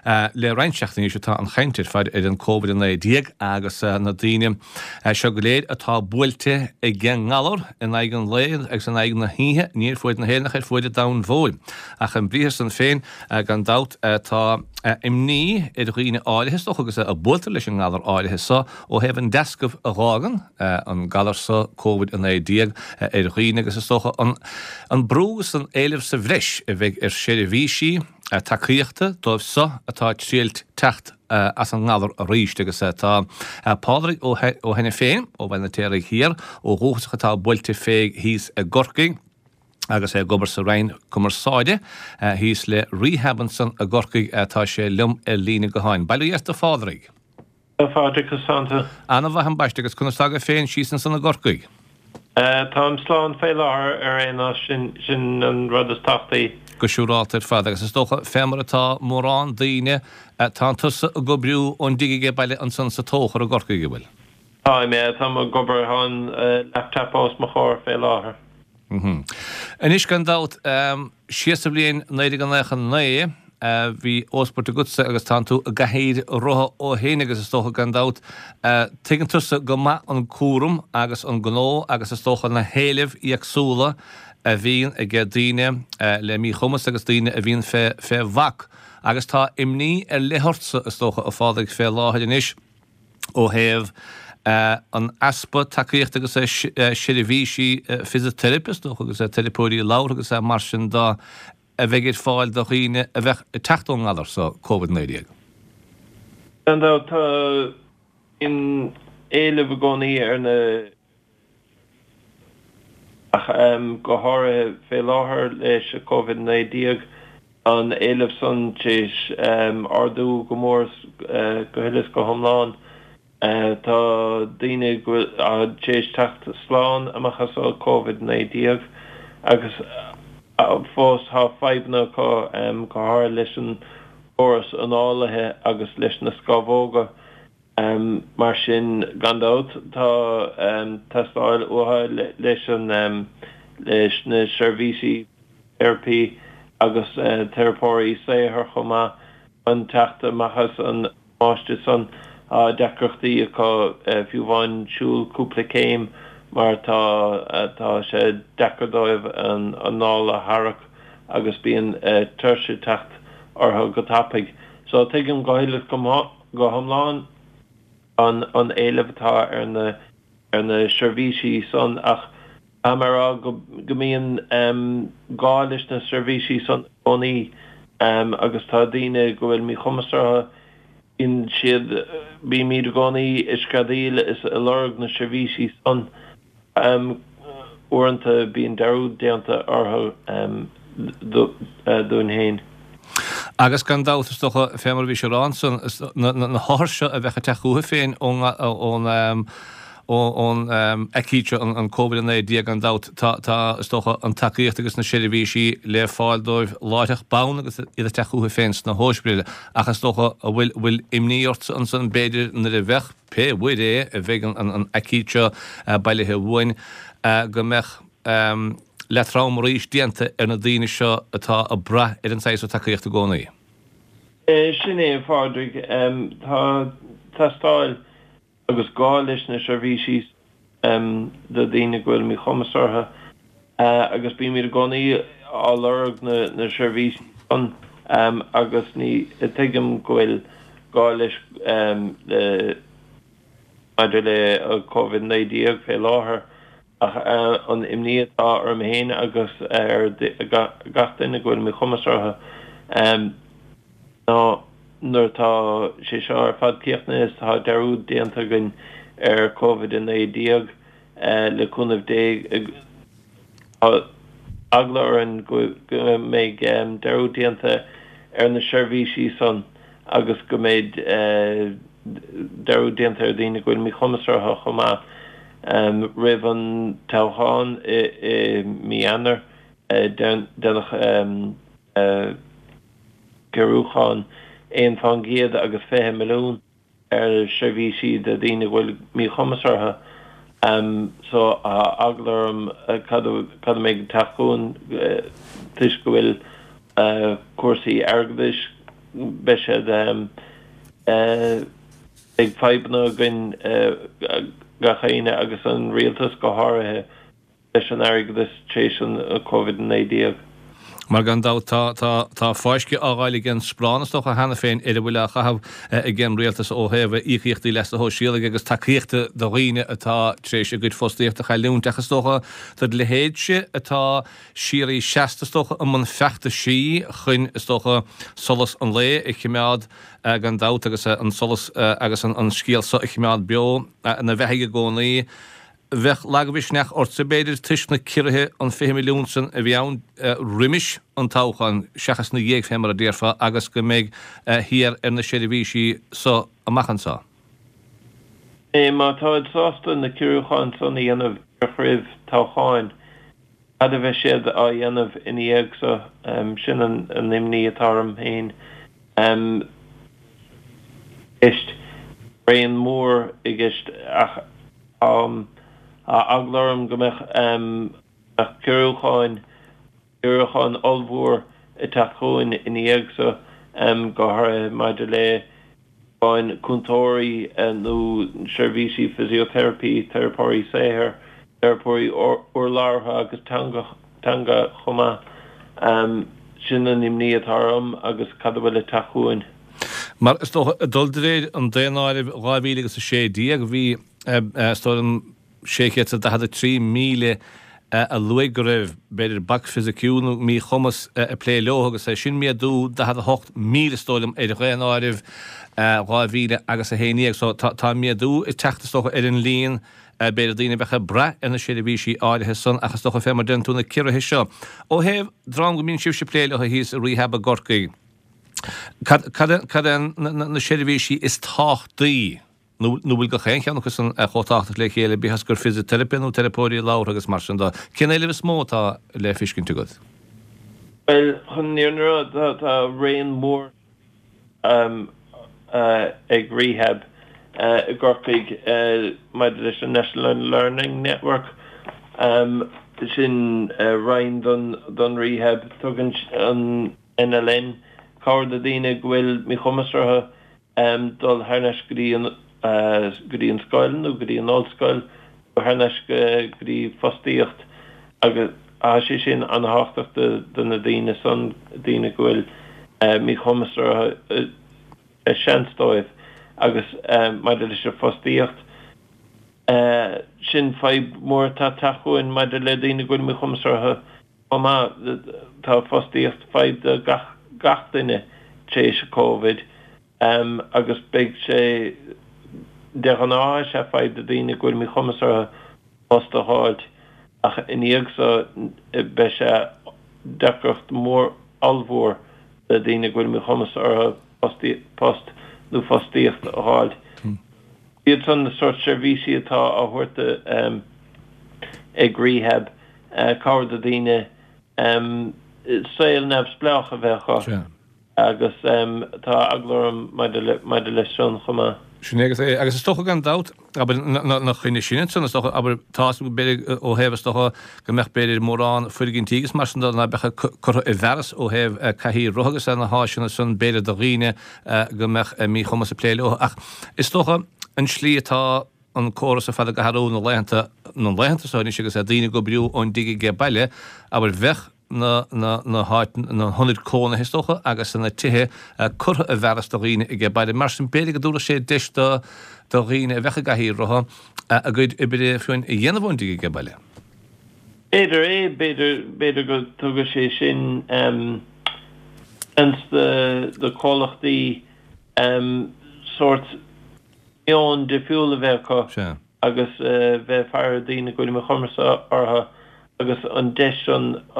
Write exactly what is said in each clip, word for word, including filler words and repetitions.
Le roinnt seachtainí anois atá an chaint ar fad ar an Covid a naoi déag agus na daoine seo go léir atá buailte ag an ngalar in aghaidh an lae agus in aghaidh na hoíche, ní ar fuaid na hÉireann ach ar fuaid an domhain mhóir. Ach an briathar san féin, gan dabht, tá imní ar dhaoine áirithe, is dócha, agus a buailtear leis an ngalar áirithe so ó thaobh an deascaibh a dh'fhágann an galar so, Covid a naoi déag, ar dhaoine agus is dócha an brú agus an éileamh sa bhreis a bheidh ar sheirbhísí tacaíochta dóibh so atá ag triailt teacht as an ngalar arís. Agus tá Pádraig Ó hAiniféin ó Bhaile an Fheirtéaraigh Thiar ó dhúchas ach atá buailte fé thíos i gCorcaigh agus é ag obair sa Roinn Cumarsáide thíos le Rehab ansan i gCorcaigh, tá sé liom ar líne gutháin. Bail ó Dhia ort a Phádraig. A Phádraig, conas tánn tú? Ana-mhaith ambaiste, agus conas tá agat féin síos ansan i gCorcaigh? Táim slán fé láthair ar aon nós, sin sin an rud is tábhachtaí. Go siúrálta ar fad, agus is dócha, fé mar atá mórán daoine, tánn tusa ag oibriú ón dtigh aige baile ansan sa Tóchar i gCorcaigh, an bhfuil? Táim, yeah, táim ag obair, tá an laptop os mo chomhair fé láthair. Anois, gan dabht, siar sa bhliain naoi déag naocha naoi, bhí óspairt agatsa agus tánn tú i gcathaoir rotha ó shin agus is dócha, gan dabht, tuigeann tusa go maith an cúram agus an gnó agus is dócha na héilimh éagsúla a bhíonn ag daoine le míchumas agus daoine a bhíonn fé fé bhac. Agus tá imní ar leith ortsa, is dócha, a Phádraig, fé láthair anois. ó thaobh an easpa tacaíochta agus seirbhísí fisiteiripe, is dócha, agus teiripeoirí labhartha agus mar sin de a bheidh ar fáil do dhaoine a bheadh ag teacht ón ngalar so, Covid naoi déag. Gan dabht, tá an éileamh i gcónaí ar na ach go háirithe fé láthair leis an Covid naoi déag, tá an éileamh san tar éis ardú go mór go huile is go hiomlán. Tá daoine go bhfuil tar éis teacht slán amach as an Covid naoi déag agus fós tá fadhbanna acu, go háirithe leis an gcóras análaithe agus leis na scamhóga. Mar sin, gan dabht, tá teastáil uathu leis an leis na seirbhísí teiripí agus teiripeoirí saothair chomh maith chun teacht amach as an damáiste san. Tá deacrachtaí acu fiú amháin siúl cúpla céim mar tá tá sé deacair dóibh an anáil a tharrac agus bíonn tuirse ag teacht orthu go tapaidh. So tuigim go huile is go go hiomlán an an éileamh atá ar na ar na seirbhísí san ach caithfidh mé a rá go go mbíonn gá leis na seirbhísí san i gcónaí agus tá daoine go bhfuil míchumas orthu, bíonn siad, bímid i gcónaí ag screadaíl is ag lorg na seirbhísí san. Uaireanta bíonn dearúd déanta orthu dúinn féin. Agus gan dabht, is dócha, fé mar a bhís ag rá ansan, na hothair seo a bheadh ag teacht chucu féin ón ón aicíd seo, an Covid a naoi déag, gan dabht, tá, tá, is dócha, an tacaíocht agus na seirbhísí le fáil dóibh láithreach bonn agus iad ag teacht chucu féin sna hóispidéil. Ach is dócha, an bhfuil, bhfuil imní ortsa ansan, b'fhéidir, nuair a bheadh, pé uair é a bheidh an aicíd seo bailithe uainn, go mbeadh leatrom arís déanta ar na daoine seo atá ag brath ar an saghas seo tacaíochta i gcónaí. Sin é, a Phádraig. Tá teastáil agus gá leis na seirbhísí do dhaoine go bhfuil míchumas orthu agus bímid i gcónaí á lorg na seirbhísí san agus ní tuigim go bhfuil gá leis le maidir le Covid naoi déag fé láthair ach an imní atá orm féin agus ar gach duine go bhfuil míchumas orthu ná nuair atá sé seo ar fad críochnaithe is tá dearúd déanta againn ar Covid a naoi déag le cúnamh Dé tá eagla orainn go mbeidh dearúd déanta ar na seirbhísí san agus go mbeidh dearúd déanta ar dhaoine go bhfuil míchumas orthu chomh maith. Roimh an toghchán i mí Eanáir, déanadh giorrúchán aon fán gcéad agus fiche milliún ar sheirbhísí do dhaoine a bhfuil míchumas orthu. So tá eagla orm cad a mbeidh ag teacht chugainn toisc go bhfuil cúrsaí airgeadais beidh siad beidh fadhbanna againn gach éinne agus an rialtas go háirithe leis an airgeadas tar éis an Covid a naoi déag. Mar gan dabht tá tá tá fáisceadh á fháil ag an sparán is dócha cheana féin ar a bhfuil á chaitheamh ag an rialtas ó thaobh íocaíochtaí leasa shóisialaigh agus tacaíochta do dhaoine atá tar éis a gcuid fostaíochta a chailliúint. Ach is dócha do do leithéidse atá síoraí seasta is dócha i mbun feachtaisí chun is dócha solas an lae a choimeád gan dabht agus an solas agus an scéal seo a choimeád beo ina bheathaidh i gcónaí. Bheadh lagmhisneach ortsa, b'fhéidir, toisc na ciorruithe an fiche milliún san a bhí ann roimis an toghchán seachas ina dhiaidh, fé mar a déarfá, agus go mbeidh thiar ar na seirbhísí so amach anso. Má táid sásta na ciorrúcháin san a dhéanamh díreach roimh toghcháin, cad a bheidh siad á dhéanamh ina dhiaidh so? Sin an imní atá orm féin. Ceist raon mór i gceist ach tá eagla orm go mbeadh ciorrúcháin, ciorrúcháin ollmhór ag teacht chugainn ina dhiaidh so, go háirithe maidir le ciorrúcháin cúntóirí nó seirbhísí physiotherapy, teiripeoirí saothair, teiripeoirí urlabhra agus teanga chomh maith. Sin an imní atá orm agus cad a bhfuil ag teacht chugainn. Mar is dócha, ag dul de réir an daonáirimh dhá mhíle agus a sé déag, bhí is dóigh liom sé chéad is daichead a trí míle a luaigh go raibh, b'fhéidir, bac fisiciúil nó míchumas ag plé leo agus é sin méadú daichead a hocht míle is dóigh liom ar dhaonáireamh dhá mhíle agus a haon déag. So tá méadú ag teacht is dócha ar an líon b'fhéidir daoine a bheadh ag brath ar na seirbhísí áirithe san ach is dócha fé mar deireann tú na ciorruithe seo. Ó thaobh dream go mbíonn sibhse ag plé leo thíos i Rehab i gCorcaigh, cad cad é na seirbhísí is tábhachtaí nó nó bhfuil gach aon cheann acu san chomh tábhachtach le chéile, bíodh is gur fisiteiripe nó teiripeoirí labhartha agus mar sin de. Cén éileamh is mó atá le feiscint agat? Bhuel, chun an fhírinne a rá, tá raon mór ag Rehab i gCorcaigh maidir leis an National Learning Network, sin roinn don Rehab. Tugann an NLN cabhair do dhaoine go bhfuil míchumas orthu dul thar n-ais go dtí an go dtí an scoil nó go dtí an ollscoil nó thar n-ais go dtí fostaíocht agus tá sé sin an-thábhachtach do na daoine san, daoine go bhfuil míchumas orthu, seans dóibh agus maidir leis an fostaíocht, sin fadhb mhór atá ag teacht chugainn maidir le daoine go bhfuil míchumas orthu chomh maith. Tá fostaíocht fadhb do gach gach duine tar éis Covid agus beidh sé de ghnáth is ea fadhb do daoine go bhfuil míchumas orthu post a dh'fháilt ach ina dhiaidh so beidh sé deacracht mór ollmhór do daoine go bhfuil míchumas orthu post nó fostaíocht a dh'fháilt. Iad san na sórt seirbhísí atá á thabhairt ag Rehab, cabhair do daoine saol neamhspleách a bheith acu. Agus tá eagla orm maidir leis san chomh maith. Sin é agus é. Agus is dócha gan dabht, abair, na choinne sin ansan, is dócha, abair, tá a fhios agam, b'fhéidir, ó thaobh, is dócha, go mbeadh, b'fhéidir, mórán foirgintí agus mar sin de ná beadh curtha i bhfearas ó thaobh cathaoir rotha agus na háiseanna san, b'fhéidir, do dhaoine go mbeadh míchumas ag plé leo. Ach is dócha an slí atá an córas ar fad ag athrú na laethanta, na laethanta seo anois agus daoine ag oibriú ón dtigh age baile, abair, bheadh, na na háit na hionaid cónaithe is dócha agus na tithe curtha i bhfearas do dhaoine age baile. Mar sin b'fhéidir go dtabharfadh sé deis do do dhaoine a bheadh i gcathaoir rotha a gcuid oibre fiú a dhéanamh ón dtigh age baile. B'fhéidir é, b'fhéidir b'fhéidir go dtugadh sé sin seans do do chomhlachtaí sórt meon difriúil a bheith acu. Sea. agus bheith ag faire daoine go bhfuil míchumas orthu agus an deis san a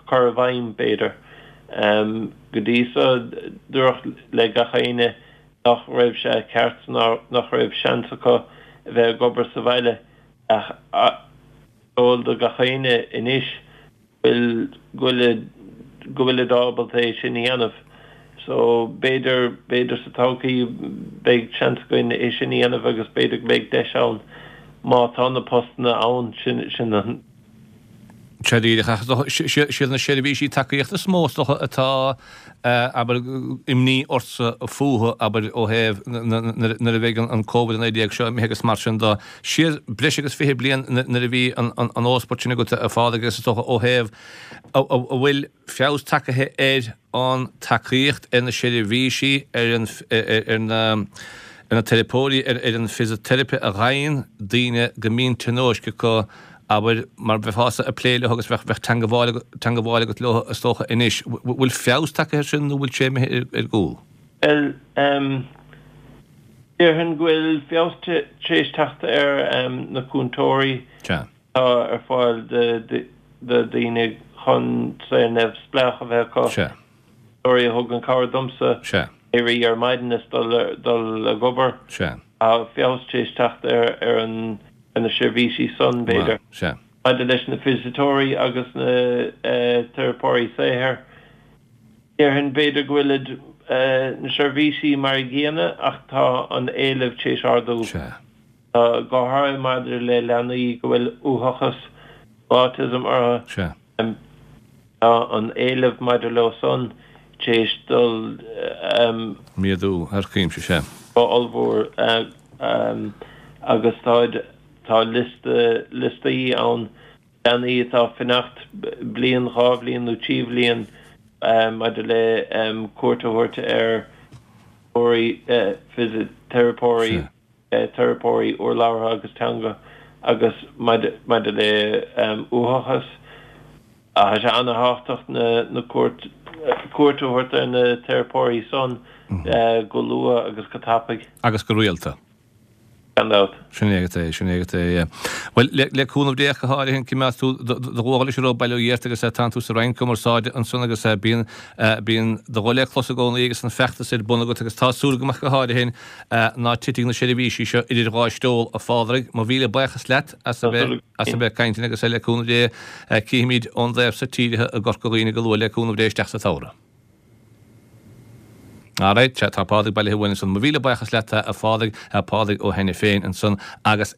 chur i bhfeidhm, b'fhéidir. Go dtí so, dúradh le gach éinne nach raibh sé ceart, nach raibh seans acu a bheith ag obair sa bhaile ach is eol do gach éinne anois bhfuil, go bhfuil, go bhfuilid ábalta é sin a dhéanamh. So, b'fhéidir, b'fhéidir sa todhchaí beidh seans againn é sin a dhéanamh agus b'fhéidir go mbeidh deis ann má tá na postanna ann, sin, sin an Sea díreach, ach siad na seirbhísí tacaíochta is mó is dócha atá abair imní ortsa fúthu abair ó thaobh nuair a bheidh an Covid a naoi déag seo imithe agus mar sin de. Siar breis agus fiche bliain nuair a bhí an ósport sin agat a Phádraig agus is dócha ó thaobh a bhfuil feabhas tagtha ar an tacaíocht, ar na seirbhísí, ar an ar na ar na teiripeoirí, ar ar an fisiteiripe a fhaigheann daoine go mbíonn tionóisc acu, abair, mar bheifeása ag plé leo agus bheadh bheadh teangabháil teangabháil agat leo is dócha anois. Bhfuil feabhas tagtha air sin nó bhfuil sé imithe ar ar gcúl? Bhuel, déarfainn go bhfuil feabhas tar éis teacht ar na cúntóirí atá ar fáil do dhaoine chun saol neamhspleách a bheith acu. Cúntóirí a thugann cabhair domsa éirí ar maidin is dul ag obair. Tá feabhas tar éis teacht ar na seirbhísí san, b'fhéidir. Maidir leis na fisiteoirí agus na teiripeoirí saothair, déarfainn b'fhéidir go bhfuilid na seirbhísí mar a gcéanna ach tá an éileamh tar éis ardú. Go háirithe maidir le leanaí go bhfuil uathachas, autism orthu. Tá an éileamh maidir leo san tar éis dul. Méadú thar cuimse, sea. Go ollmhór agus tá tá liosta liostaí ann leanaí atá ag fanacht bliain, dhá bhliain nó trí bhliain maidir le cuairt a thabhairt ar fisiteiripeoirí. teiripeoirí urlabhra agus teanga agus maidir le uathachas, tá sé an-thábhachtach na cuairt a thabhairt ar na teiripeoirí san go luath agus go tapaidh. Agus go rialta. Gan dabht. Sin é agat é, sin é agat é, yeah. Bhuel, le, le cúnamh Dé ach go háirithe, coimeádfaidh tú do, do ghuth leis an raibh Baile Ó Ghiorta agus tánn tú sa Roinn Cumarsáide ansan agus bíonn, bíonn do ghuth le clos i gcónaí agus an feachtas ar bun agat agus tá súil agam ach go háirithe ná titfidh na seirbhísí seo idir dhá stól, a Phádraig. Mo mhíle buíochas leat as a bheith, as a bheith ag caint linn agus le cúnamh Dé cífimid ón dtaobh so tíre i gCorca Dhuibhne go luath le cúnamh Dé isteach sa tsamhradh. Alright, sea, tá Pádraig bailithe uainn ansan. Mo mhíle buíochas leat, a Phádraig, Pádraig Ó hAiniféin ansan agus.